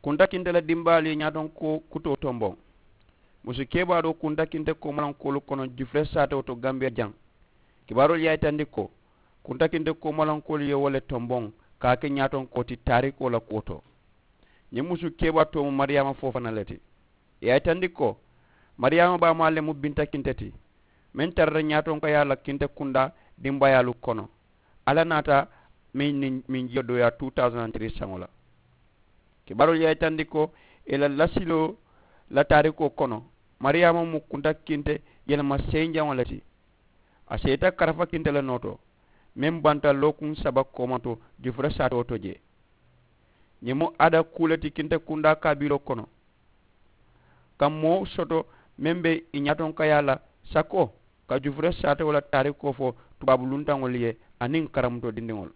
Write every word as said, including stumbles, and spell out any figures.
Kunta kinte la dimbaalu ye ñaatonkoo kutoo tomboŋ. Musu kebaa doo kunta kinte koomalankoolu kono jufure saatewo to gambiya jaŋ. Kibaaroolu ye a yitandi ko kunta kinte koomalankoolu ye wo le tomboŋ ka a ke ñaatonkoo ti taarikoo la kuwo to. Ñiŋ musu kebaa too mu mariyaama foo fana le ti. Ì ye a yitandi ko mariyaama baamaa le mu binta kinte ti meŋ tarata ñaatonkayaa la kinte kundaa dimbayaalu kono. Alla naata meŋ niŋ meŋ jiyo dooyaa two thousand and three saŋo la. Kibaaroolu ye a yitandi ko ì la lasiloo la taarikoo kono mariyaama mu kunta kinte yelema seyiŋ jaŋo le ti. A seeta karafa kinte le noo to meŋ banta lookuŋ saba koomato jufura saatoo to jee. Ñiŋ mu aada kuu le ti kinte kundaa kaabiloo kono ka moo soto meŋ be ì ñaatonkayaa la sakoo ka jufura saatewo la taarikoo fo tubaabu luntaŋolu ye aniŋ karamutoo dindiŋolu.